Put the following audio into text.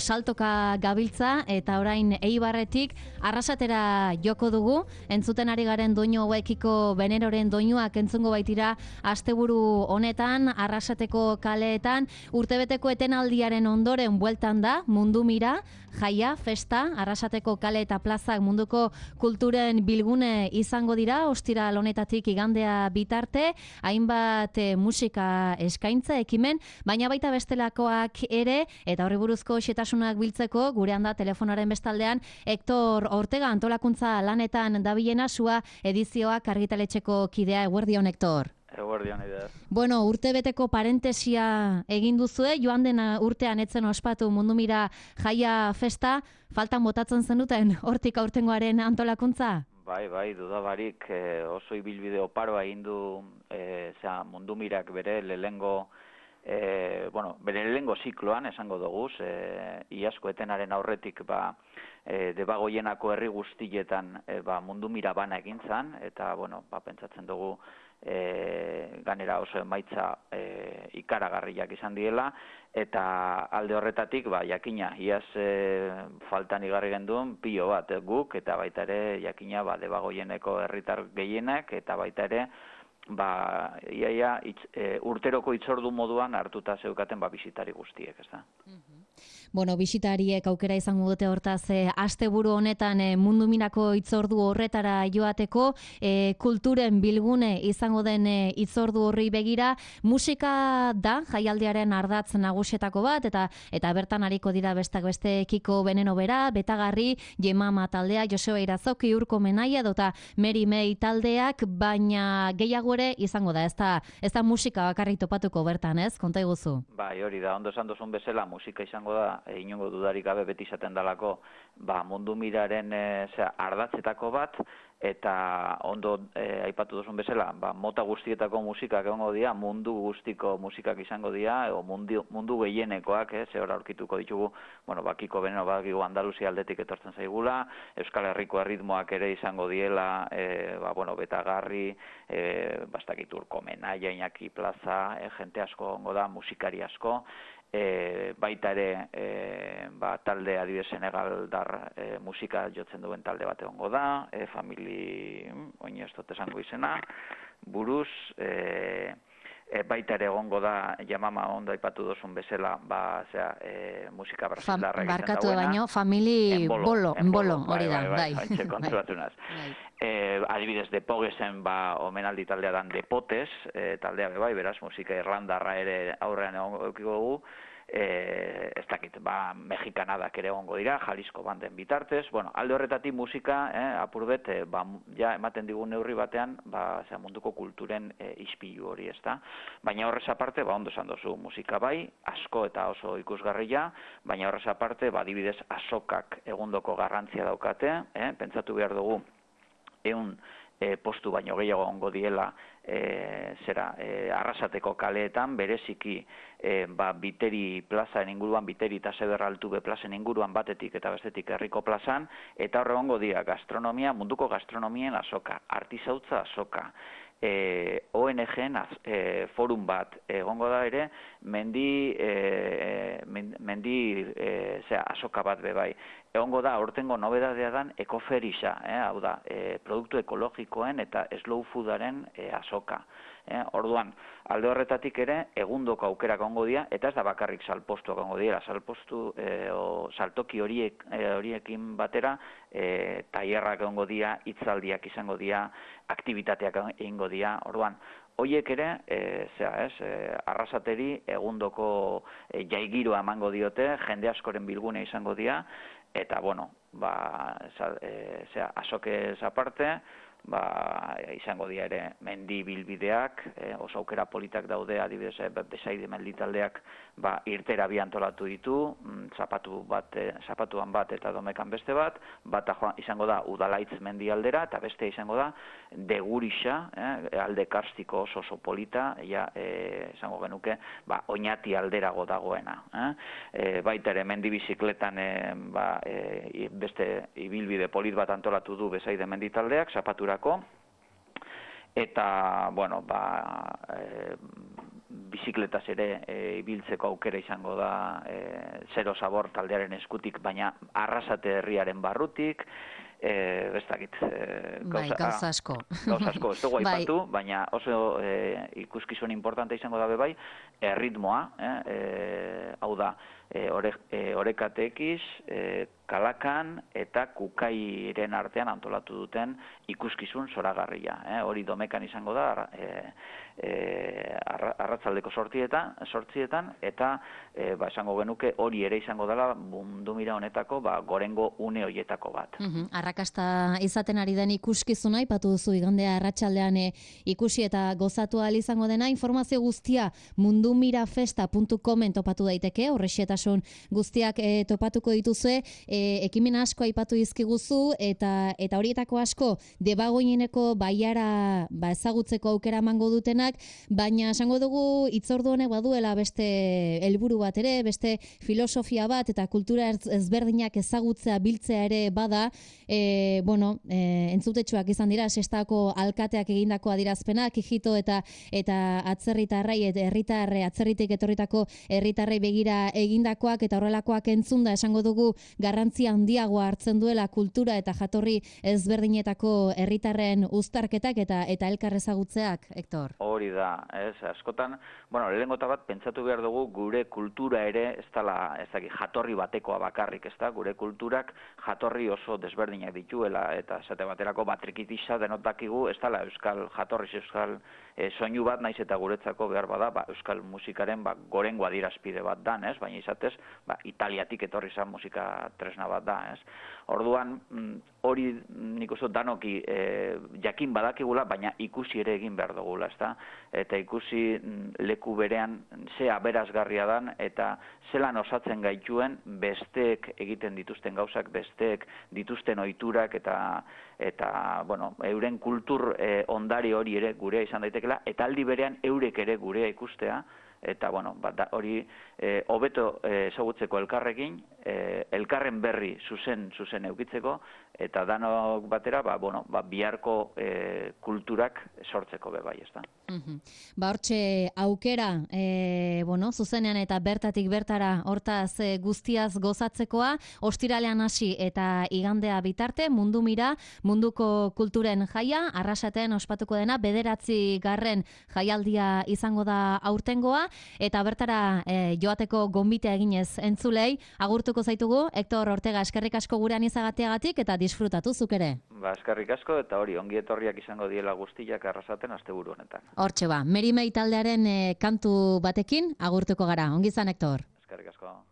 Saltoka gabiltza eta orain Eibarretik Arrasatera joko dugu. Entzuten ari garen doinu hauekiko Beneroren doinuak entzungo baitira asteburu honetan Arrasateko kaleetan. Urtebeteko etenaldiaren ondoren bueltan da Mundu Mira, jaia, festa, Arrasateko kale eta plazak munduko kulturen bilgune izango dira, ostiral honetatik igandea bitarte, hainbat musika eskaintza ekimen, baina baita bestelakoak ere, eta horri buruzko xetasunak biltzeko, gurean da telefonaren bestaldean, Hector Ortega antolakuntza lanetan dabilena, sua edizioak argitaletxeko kidea. Eguerdion, Hector. Eguerdion, idea. Bueno, urtebeteko parentesia egin duzue, joan den urtean etzen ospatu Mundu Mira jaia festa, faltan botatzen zenuten hortik aurtengoaren antolakuntza? Bai, dudabarik oso ibilbide oparoa egin du Mundu Mirak bere lehengo bere lehengo zikloan esango doguz, iazko etenaren aurretik Debagoienako herri guztietan Mundu Mira bana egin zan, eta pentsatzen dugu ganera oso emaitza ikaragarriak izan diela, eta alde horretatik jakina, iaz faltan igarri genduen pilo bat guk, eta baita ere jakina Debagoieneko herritar gehienak, eta baita ere urteroko itzordu moduan hartuta zeukaten bisitari guztiek, ez da? Bueno, bisitariek aukera izango dute hortaz asteburu honetan Mundu Mirako itzordu horretara joateko, kulturen bilgune izango den itzordu horri begira, musika da jaialdiaren ardatz nagusietako bat, eta bertan ariko dira besteak beste Kiko Veneno bera, Betagarri, Jemama taldea, Joseba Irazoki, Urko Menaia, dota Meri Mei taldeak, baina gehiago ere izango da, ez da musika bakarrik topatuko bertan, ez? Konta iguzu. Bai, hori da, ondo esan duzun bezala, musika izango da, inongo dudarik gabe beti izaten dalako, Mundu Miraren ardatzetako bat, eta ondo aipatu duzun bezala, mota guztietako musikak egongo dira, mundu guztiko musikak izango dira, mundu gehienekoak, zehor aurkituko ditugu, Kiko Veneno badakigu Andaluzia aldetik etortzen zaigula, Euskal Herriko erritmoak ere izango diela, Betagarri, bastakit Urko Menaia, Iñaki Plaza, jente asko egongo da, musikari asko, baita ere talde adibidez Senegaldar musika jotzen duen talde bat egongo da, famili, oin ez dut esango izena, buruz, baita ere egongo da Jamama ondo aipatu dozun bezala, musika brasildarra egiten dauena. Barkatu baino, famili bolo, hori da, bai. Haintxe konturatu naz. Adibidez, Depogesen omenaldi taldea dan Depotes, taldea bai, beraz, musika irlandarra ere aurrean egongo dugu, ez dakit, mexikanadak ere egongo dira, Jalisco banden bitartez, alde horretatik musika, apurbet, ematen digun neurri batean, munduko kulturen ispilu hori, ez da? Baina horrez aparte, ondo esan dozu, musika bai, asko eta oso ikusgarria, baina horrez aparte, adibidez, azokak egundoko garrantzia daukate, pentsatu behar dugu, postu baino gehiago ongo diela Arrasateko kaleetan, bereziki Biteri plazaren inguruan, Biteri eta Seberra Altube plazen inguruan batetik eta bestetik herriko plazan, eta horre ongo dira gastronomia, munduko gastronomien azoka, artizautza azoka, ONG-en forum bat egongo da ere, mendi azoka bat bebai. Egongo da, hortengo nobedadea dan ekoferisa, hau da, produktu ekologikoen eta slow foodaren azoka. Orduan, alde horretatik ere, egundoko aukerak egongo dira, eta ez da bakarrik salpostuak egongo dira, saltoki horiekin batera, tailerrak egongo dira, hitzaldiak izango dira, aktibitateak egingo dira, orduan, hoiek ere, Arrasateri egundoko jaigiroa emango diote, jende askoren bilgune izango dira, eta, azokez aparte, izango dira ere mendi bilbideak, oso aukera politak daude, adibidez, Besaide mendi taldeak irtera bi antolatu ditu, zapatuan bat eta Domekan beste bat, izango da Udalaitz mendi aldera, eta beste izango da Degurisa, alde karstiko oso polita, izango genuke, Oñati alderago dagoena. Baita ere mendi bizikletan beste ibilbide polit bat antolatu du Besaide mendi taldeak, zapaturako, eta, bizikletaz ere ibiltzeko aukera izango da Zero Sabor taldearen eskutik, baina Arrasate herriaren barrutik, ez dakit, gauza asko. Gauza asko, ez dugu aipatu, baina oso ikuskizun importante izango da bebai, erritmoa, hau da, Orekatekiz, Kalakan eta Kukairen artean antolatu duten ikuskizun zoragarria. Hori Domekan izango da, arratzaldeko sortzietan, eta esango genuke hori ere izango dela mundu mira honetako gorengo une horietako bat. Arrakasta izaten ari den ikuskizuna, aipatu duzu igandea arratsaldean ikusi eta gozatu ahal izango dena, informazio guztia mundumirafesta.comen topatu daiteke, horrexetasun guztiak topatuko dituzue, ekimen asko aipatu dizkiguzu eta horietako asko Debagoieneko baiara ezagutzeko aukera emango dutenak, baina esango dugu hitzordu honek baduela beste helburu bat ere, beste filosofia bat eta kultura ezberdinak ezagutzea biltzea ere bada, entzutetsuak izan dira Sestako alkateak egindako adierazpenak, Kijito eta atzerritarrei, atzerritik etorritako herritarrei begira egindakoak eta horrelakoak entzunda esango dugu garrantzi handiagoa hartzen duela kultura eta jatorri ezberdinetako herritarren uztarketak eta elkar ezagutzeak, Hector. Hori da, askotan, lehenengo eta bat pentsatu behar dugu gure kultura ere ez dela, jatorri batekoa bakarrik, ez da, gure kulturak jatorri oso desberdinak dituela eta esate baterako batrikitisa denotakigu ez dela euskal jatorriz euskal soinu bat, naiz eta guretzako behar bada euskal musikaren gorengo adierazpide bat dan, baina izatez Italiatik etorri zan musika tresna bat da, Orduan, hori nik uste danoki jakin badakigula, baina ikusi ere egin behar dugula, eta ikusi leku berean ze aberazgarria dan, eta zelan osatzen gaituen besteek egiten dituzten gauzak, besteek dituzten ohiturak eta euren kultur ondare hori ere gurea izan daitekela, eta aldi berean eurek ere gurea ikustea, eta hori hobeto ezagutzeko elkarrekin, elkarren berri zuzen eukitzeko, eta danok batera biharko kulturak sortzeko bebai, ez da. Hortxe aukera, zuzenean eta bertatik bertara hortaz guztiaz gozatzekoa, ostiralean hasi eta igandea bitarte, Mundu Mira, munduko kulturen jaia, Arrasaten ospatuko dena, 9. jaialdia izango da aurtengoa, eta bertara joateko gonbitea eginez entzulei, agurtuko zaitugu, Hector Ortega, eskerrik asko gurean izagateagatik eta disfrutatu zuk ere. Eskerrik asko eta hori ongi etorriak izango diela guztiak Arrasaten asteburu honetan. Hortxe Merimei taldearen kantu batekin agurtuko gara. Ongi izan, Hector. Eskerrik asko.